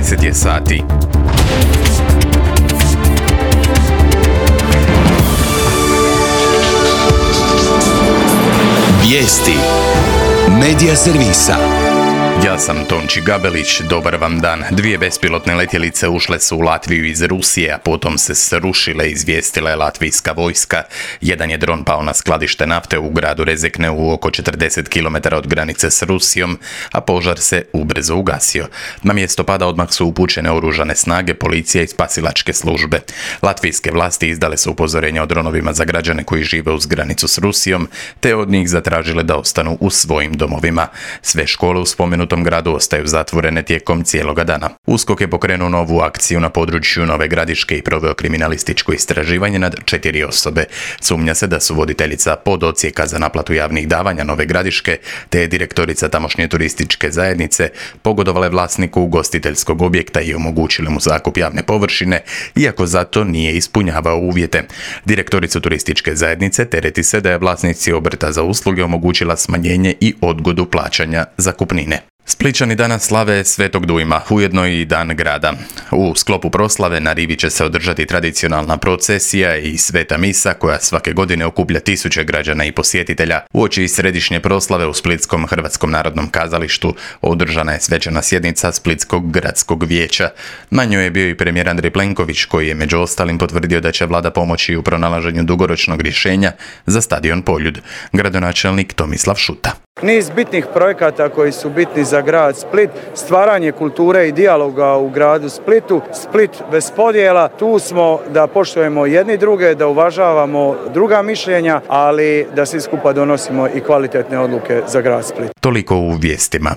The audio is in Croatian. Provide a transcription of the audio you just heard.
10 je sati. Vijesti Medija servisa. Ja sam Tonči Gabelić, dobar vam dan. 2 bespilotne letjelice ušle su u Latviju iz Rusije, a potom se srušile, izvijestila je latvijska vojska. Jedan je dron pao na skladište nafte u gradu Rezekneu oko 40 km od granice s Rusijom, a požar se ubrzo ugasio. Na mjesto pada odmah su upućene oružane snage, policija i spasilačke službe. Latvijske vlasti izdale su upozorenja o dronovima za građane koji žive uz granicu s Rusijom, te od njih zatražile da ostanu u svojim domovima. Sve škole u spomenutom gradu ostaju zatvorene tijekom cijeloga dana. USKOK je pokrenuo novu akciju na području Nove Gradiške i proveo kriminalističko istraživanje nad 4 osobe. Sumnja se da su voditeljica podocijeka za naplatu javnih davanja Nove Gradiške te direktorica tamošnje turističke zajednice pogodovale vlasniku ugostiteljskog objekta i omogućile mu zakup javne površine, iako zato nije ispunjavao uvjete. Direktoricu turističke zajednice tereti se da je vlasnici obrta za usluge omogućila smanjenje i odgodu plaćanja zakupnine. Splićani danas slave Svetog Dujma, ujedno i dan grada. U sklopu proslave na rivi će se održati tradicionalna procesija i sveta misa koja svake godine okuplja tisuće građana i posjetitelja. Uoči središnje proslave u Splitskom Hrvatskom narodnom kazalištu održana je svečana sjednica Splitskog gradskog vijeća. Na njoj je bio i premijer Andrej Plenković koji je među ostalim potvrdio da će vlada pomoći u pronalaženju dugoročnog rješenja za stadion Poljud. Gradonačelnik Tomislav Šuta. Niz bitnih projekata koji su bitni za grad Split, stvaranje kulture i dijaloga u gradu Splitu, Split bez podjela, tu smo da poštujemo jedni druge, da uvažavamo druga mišljenja, ali da svi skupa donosimo i kvalitetne odluke za grad Split. Toliko u vijestima.